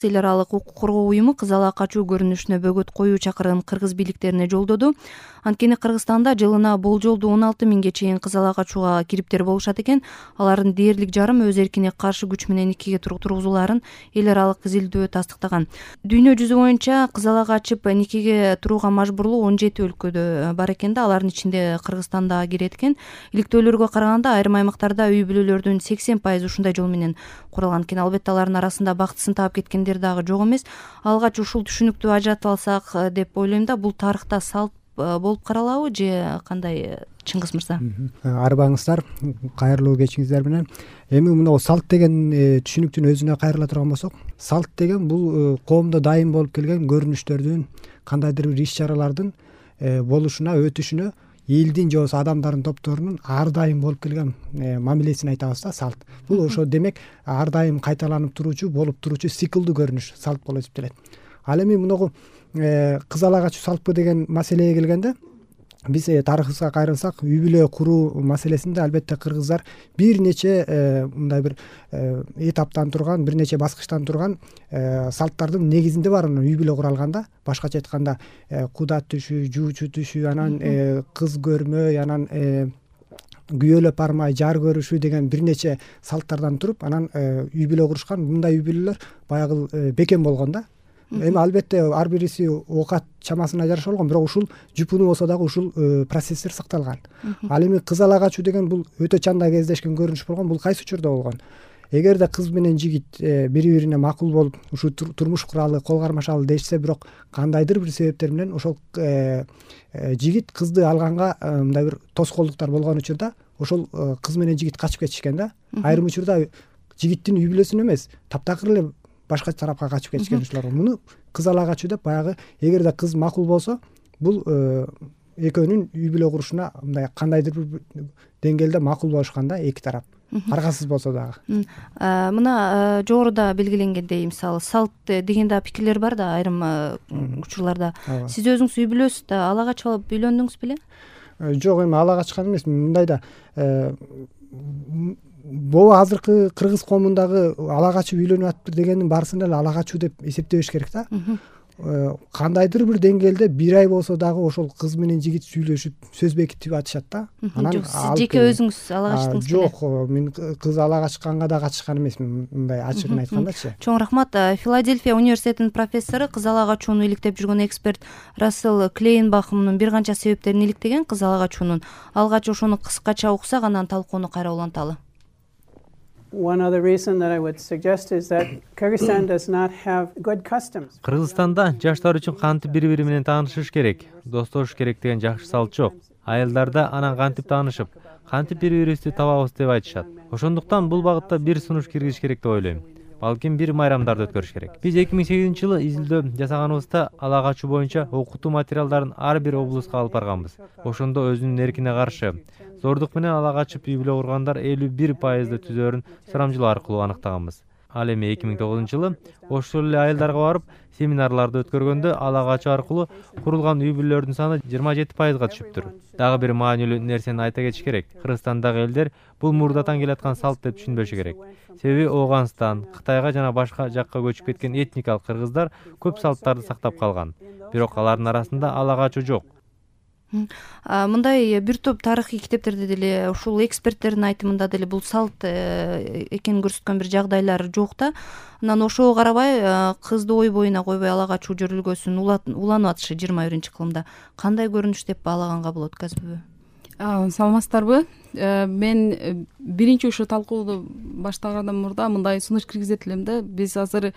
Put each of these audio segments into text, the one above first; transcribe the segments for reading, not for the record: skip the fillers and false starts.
Эл аралык укук коргоо уюму кыз ала качуу көрүнүшүнө бөгөт коюу чакырыгын кыргыз бийликтерине жолдоду. Анткени Кыргызстанда жылына болжолдуу 16 миңге чейин кыз ала качууга кириптер болушат экен. Алардын дээрлик жарым өз эркине каршы күч менен никеге тургузулаарын эл аралык изилдөө тастыктаган. Дүйнө жүзү боюнча кыз ала качып никеге турууга мажбурлуу 17 өлкөдө бар экен да, алардын ичинде Кыргызстан да кирет экен. Иликтөөлөргө караганда айрым аймактарда үй бүлөлөрдүн 80% ушундай жол менен куралган экен. Албетте алардын арасында бактысын таап кеткен дагы жок эмес. Алгач ушул түшүнүктү ажыратып алсак деп ойлойм да. Бул тарыхта салт болуп каралабы же кандай, Чыңгыз мырза? Арбаңыздар, кайрылуу кечиңиздер менен. Эми мына салт деген түшүнүктүн өзүнө кайрыла турган болсок, салт деген бул коомдо дайым болуп келген көрүнүштөрдүн, кандайдыр бир иш-чаралардын болушуна, өтүшүнө элдин же болбосо адамдардын топторунун ар дайым болуп келген мамилесин айтабыз да, салт. Бул ошо демек ар дайым кайталанып туруучу, болуп туруучу циклдүү көрүнүш салт болуп эсептелет. Ал эми мунагу кыз ала качуу салтпы деген маселеге келгенде, биз тарыхыбызга кайрылсак, үй бүлө куруу маселесинде албетте кыргыздар бир нече мындай бир этаптан турган, бир нече баскычтан турган салттардын негизинде бар үй бүлө куралганда. Башкача айтканда куда түшүү, жуучу түшүү, анан кыз көрмөй, анан күйөөлөп бармай жар көрүшүү деген бир нече салттардан туруп, анан үй бүлө курушкан. Мындай үй бүлөлөр баягы бекем болгон да. Эми албетте ар бириси оокат чамасына жараша болгон, бирок ушул жупунуу болсо дагы ушул процесстер сакталган. Ал эми кыз ала качуу деген бул өтө чанда кездешкен көрүнүш болгон. Бул кайсы учурда болгон? Эгерде кыз менен жигит бири-бирине макул болуп, ушу турмуш куралы, кол кармашалы дешсе, бирок кандайдыр бир себептер менен ошол жигит кызды алганга мындай бир тоскоолдуктар болгон учурда ошол кыз менен жигит качып кетишкен да. Айрым учурда жигиттин үй бүлөсүнө эмес, таптакыр эле башка тарапка качып кетишкен ушулар. Муну кыз ала качуу деп, баягы эгерде кыз макул болсо, бул экөөнүн үй бүлө курушуна мындай кандайдыр бир деңгээлде макул болушкан да, эки тарап. Аргасыз болсо дагы. Мына жогоруда белгиленгендей, мисалы салт деген да пикирлер бар да айрым учурларда. Сиз өзүңүз үй бүлөсүздө ала качып алып үйлөндүңүз беле? Жок, эми ала качкан эмес. Мындай да бул азыркы кыргыз коомундагы ала качып үйлөнүп атыптыр дегендин баарысын эле ала качуу деп эсептебеш керек да. Кандайдыр бир деңгээлде бир ай болсо дагы ошол кыз менен жигит сүйлөшүп, сөз бекитип атышат да. Жок, сиз жеке өзүңүз ала качтыңыз беле? Жок, мен кыз ала качканга да катышкан эмесмин, мындай ачыгын айткандачы. Чоң рахмат. Филадельфия университетинин профессору, кыз ала качууну иликтеп жүргөн эксперт Рассел Клейнбах мунун бир канча себептерин иликтеген кыз ала качуунун. Алгач ошону кыскача уксак, анан талкууну кайра уланталы. One other reason that I would suggest is that Kyrgyzstan does not have good customs. Кыргызстанда жаштар үчүн кантип бири-бири менен таанышыш керек, достошуш керек деген жакшы салт жок. Аялдарда анан кантип таанышып, кантип бири-бирибизди табабыз деп айтышат. Ошондуктан бул багытта бир сунуш киргизиш керек деп ойлойм. Балким бир майрамдарды өткөрүш керек. Биз 2008-жылы изилдөө жасаганыбызда ала качуу боюнча окутуу материалдарын ар бир облуска алып барганбыз. Ошондо өзүнүн эркине каршы зордук менен ала качып үй бүлө кургандар 51% түзөрүн сурамжылоо аркылуу аныктаганбыз. Ал эми 2009-жылы ошол эле айылдарга барып семинарларды өткөргөндө ала качуу аркылуу курулган үй бүлөлөрдүн саны 27%га түшүптүр. Дагы бир маанилүү нерсени айта кетиш керек. Кыргызстандагы элдер бул мурдатан келаткан салт деп түшүнбөшү керек. Себеби Ооганстан, Кытайга жана башка жакка көчүп кеткен этникалык кыргыздар көп салттарды сактап калган. Бирок алардын арасында ала качуу жок. Мындай бир топ тарыхый китептерде деле, ушул эксперттердин айтымында деле бул салт экенин көрсөткөн бир жагдайлар жок да. Анан ошого карабай кызды ой боюна койбой ала качуу жөрөлгөсүн уланып атышы 21-кылымда кандай көрүнүш деп баалаганга болот, Казбү? Саламатсыздарбы? Мен биринчи ушу талкууну баштагандан мурда мындай сунуш киргизет элем да. Биз азыр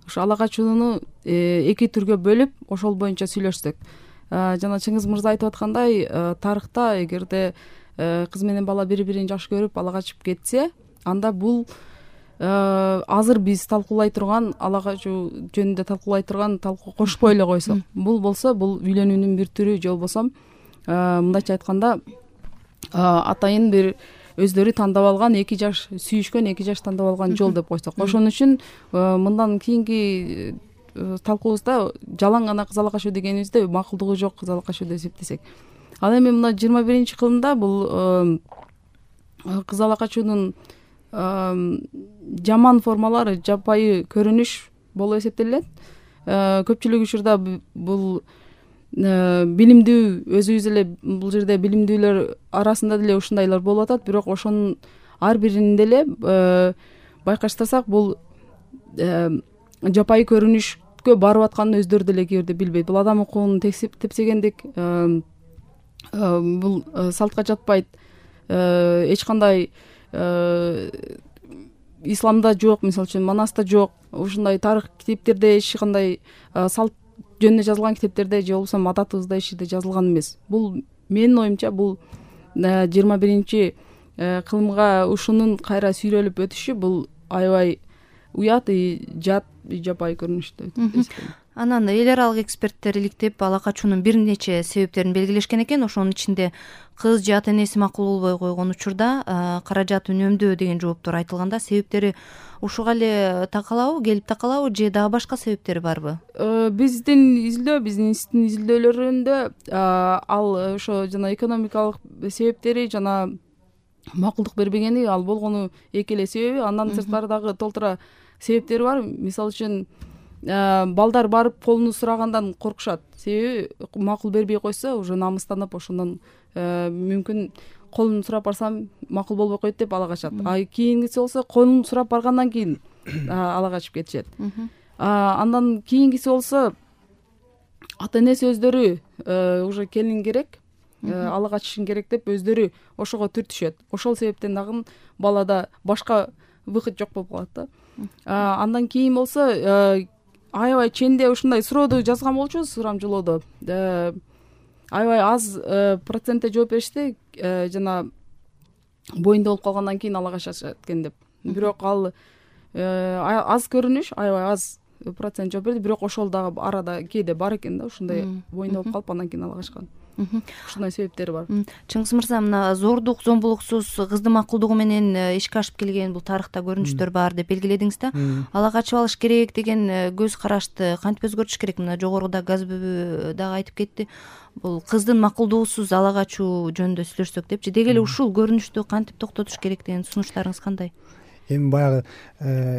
ушу ала качууну эки түргө бөлүп, ошол боюнча сүйлөшсөк. Жана Чыңгыз мырза айтып аткандай, тарыхта эгерде кыз менен бала бири-бирин жакшы көрүп ала качып кетсе, анда бул азыр биз талкуулай турган ала качуу жөнүндө талкуулай турган талкуу кошпой эле койсок, бул болсо бул үйлөнүүнүн бир түрү, же болбосо мындайча айтканда атайын бир өздөрү тандап алган эки жаш сүйүшкөн, эки жаш тандап алган жол деп койсок. Ошон үчүн мындан кийинки талкуубузда жалаң гана кыз ала качуу дегенибизде макулдугу жок кыз ала качуу деп эсептесек. Ал эми мына 21-кылымда бул кыз ала качуунун жаман формалары, жапайы көрүнүш болуп эсептелет. Көпчүлүк учурда бул билимдүү, өзүбүз эле бул жерде билимдүүлөр арасында деле ушундайлар болуп атат, бирок ошонун ар биринин деле байкаштасак бул жапайы көрүнүшкө барып атканын өздөрү деле кээ бирде билбейт. Бул адам укугун тепсегендик, бул салтка жатпайт. Эч кандай исламда жок, мисалы үчүн Манаста жок, ушундай тарых китептерде эч кандай салт жөнүндө жазылган китептерде же болбосо адатыбызда эч жерде жазылган эмес. Бул менин оюмча бул 21 кылымга ушунун кайра сүйрөлүп өтүшү бул аябай уят, жат, жапайы көрүнүштө. Анан эл аралык эксперттер иликтеп ала качуунун бир нече себептерин белгилешкен экен. Ошонун ичинде кыз же ата энеси макул болбой койгон учурда каражат үнөмдөө деген жооптор айтылганда, себептери ушуга эле келип такалабы же дагы башка себептери барбы? Биздин институттун изилдөөлөрүндө ал ошо жана экономикалык себептери жана макулдук бербегени ал болгону эки эле себеби. Андан сырткары дагы толтура себептери бар. Мисалы үчүн балдар барып колуну сурагандан коркушат. Себеби макул бербей койсо уже намыстанып, ошондон мүмкүн колун сурап барсам макул болбой койт деп ала качат. Кийингиси болсо колун сурап баргандан кийин ала качып кетишет. Андан кийингиси болсо ата энеси өздөрү уже келин керек, ала качышың керек деп өздөрү ошого түртүшөт. Ошол себептен дагы балада башка выход жок болуп калат да. Андан кийин болсо аябай ченде ушундай сурооду жазган болчубуз, сурамжылоодо. Аябай аз процентте жооп беришти, жана боюнда болуп калгандан кийин ала качышат экен деп. Бирок ал аз көрүнүш, аябай аз процент жооп берди, бирок ошол дагы арада кээде бар экен да, ушундай боюнда болуп калып андан кийин ала качкан. Ушундай себептери бар. Чыңгыз мырза, мына зордук, зомбулуксуз кыздын макулдугу менен ишке ашып келген бул тарыхта көрүнүштөр бар деп белгиледиңиз да. Ала качып алыш керек деген көз карашты кантип өзгөртүш керек? Мына жогоруда Газбүбү дагы айтып кетти. Бул кыздын макулдугусуз ала качуу жөнүндө сүйлөшсөк депчи. Деги эле ушул көрүнүштү кантип токтотуш керек деген сунуштарыңыз кандай? Эми баягы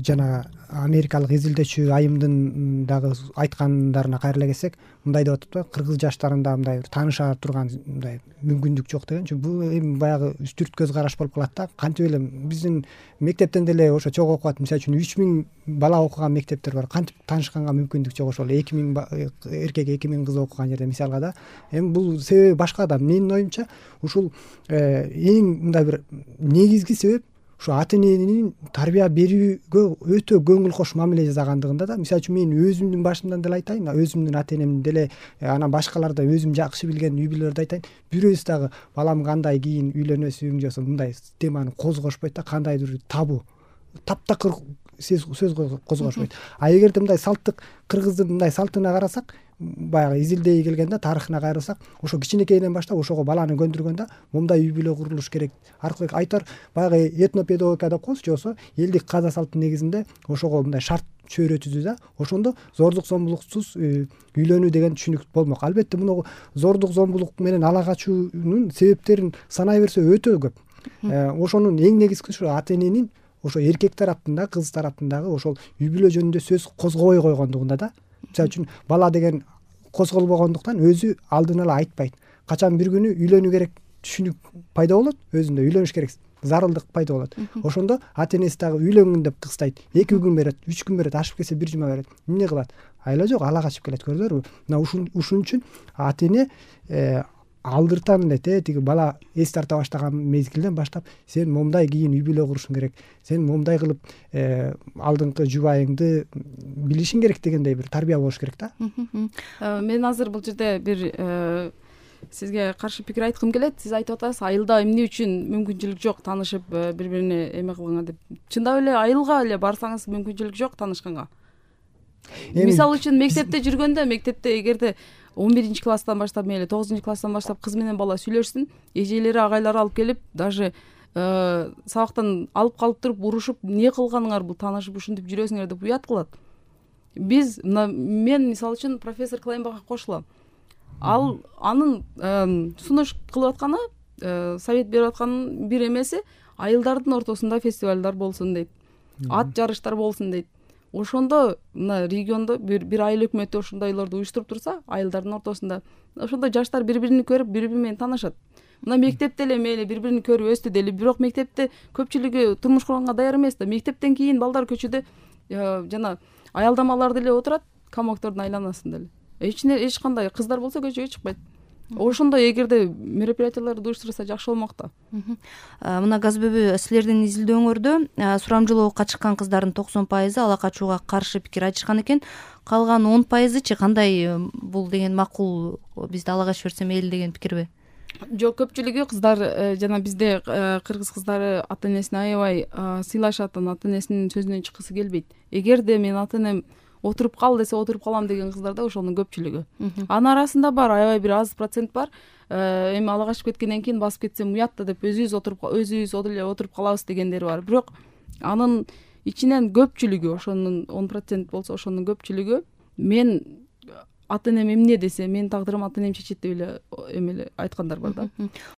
жана америкалык изилдөөчү айымдын дагы айткандарына кайрыла келсек, мындай деп атат, кыргыз жаштарында мындай тааныша турган мындай мүмкүндүк жок деген. Чүнкү бул эми баягы үстүрт көз караш болуп калат да. Кантип эле биздин мектептен деле ошо чогуу окуп, мисалы үчүн 3000 бала окуган мектептер бар. Кантип таанышканга мүмкүндүк жок, ошол 2000 эркек 2000 кыз окуган жерде мисалга да. Эми бул себеби башка да. Менин оюмча ушул эң мындай бир негизги себеп ушу ата эненин тарбия берүүгө өтө көңүл кош мамиле жасагандыгында да. Мисалы үчүн мен өзүмдүн башымдан деле айтайын, өзүмдүн ата энемдин деле, анан башкаларды өзүм жакшы билген үй бүлөлөрдү айтайын. Бирөөсү дагы балам кандай кийин үйлөнөсүң же мындай теманы козгошпойт да, кандайдыр табу, таптакыр сөз козгошпойт. А эгерде мындай салттык кыргыздын мындай салтына карасак, баягы изилдей келгенде тарыхына кайрылсак, ошо кичинекейден баштап ошого баланы көндүргөндө мындай үй бүлө курулуш керек. Аркылуу айтар баягы этнопедагогикада окуңуз, же болсо элдик каза салттын негизинде ошого мындай шарт чөйрө түзүү да. Ошондо зордук зомбулуксуз үйлөнүү деген түшүнүк болмок. Албетте муну зордук зомбулук менен ала качуунун себептерин санай берсе өтө көп. Ошонун эң негизгиси ушу ата эненин ошо эркек тараптын кыз тараптын дагы ошол үй бүлө жөнүндө сөз козгобой койгондугунда да. Мисалы үчүн бала деген козголбогондуктан өзү алдын ала айтпайт. Качан бир күнү үйлөнүү керек түшүнүк пайда болот, өзүндө үйлөнүш керек зарылдык пайда болот. Ошондо ата энеси дагы үйлөнгүн деп кыстайт. 2 күн берет, 3 күн берет, ашып кетсе 1 жума берет. Эмне кылат? Айла жок, ала качып келет, көрдүңөрбү? Мына ушун үчүн ата эне алдыртан эле тиги бала эс тарта баштаган мезгилден баштап сен момундай кийин үй бүлө курушуң керек, сен момундай кылып алдыңкы жубайыңды билишиң керек дегендей бир тарбия болуш керек да. Мен азыр бул жерде бир сизге каршы пикир айткым келет. Сиз айтып атасыз, айылда эмне үчүн мүмкүнчүлүк жок таанышып бири-бирине эме кылганга деп. Чындап эле айылга эле барсаңыз мүмкүнчүлүк жок таанышканга. Мисалы үчүн мектепте жүргөндө, мектепте эгерде 11 класстан баштап, мейли 9 класстан баштап кыз менен бала сүйлөшсүн, эжелери, агайлары алып келип, даже сабактан алып калып туруп урушуп, эмне кылганыңар бул таанышып ушинтип жүрөсүңөр деп уят кылат. Мен мисалы үчүн профессор Клейнбахка кошулам. Ал анын сунуш кылып атканы, совет берип атканын бир эмеси айылдардын ортосунда фестивалдар болсун дейт. Ат жарыштар болсун дейт. ошондо мына региондо бир айыл өкмөтү ошондойлорду уюштуруп турса, айылдардын ортосунда ошондо жаштар бири бирин көрүп, бири бири менен таанышат. Мына мектепте эле мейли бири бирин көрүп өстү дейли, бирок мектепте көпчүлүгү турмуш курганга даяр эмес да. Мектептен кийин балдар көчөдө жана аялдамаларда эле отурат, камактордун айланасында эле. Эч кандай кыздар болсо көчөгө чыкпайт. Ошондой эгерде мероприятияларды уюштурса жакшы болмок да. Мына Газбөбү, силердин изилдөөңөрдө сурамжылоокко чыккан кыздардын 90% ала качууга каршы пикир айтышкан экен. Калган 10%чы кандай бул деген макул, бизди ала качып берсе мейли деген пикирби? Жок, көпчүлүгү кыздар жана бизде кыргыз кыздары ата энесине аябай сыйлашат, ата энесинин сөзүнөн чыккысы келбейт. Эгерде мен ата энем отуруп кал десе отуруп калам деген кыздар да ошонун көпчүлүгү. Анын арасында бар аябай бир аз процент бар. Эми ала качып кеткенден кийин басып кетсем уят да деп өзүбүз эле отуруп калабыз дегендери бар. Бирок анын ичинен көпчүлүгү, ошонун 10% болсо ошонун көпчүлүгү мен ата энем эмне десе, менин тагдырым ата энем чечет деп эле эмеле айткандар бар да.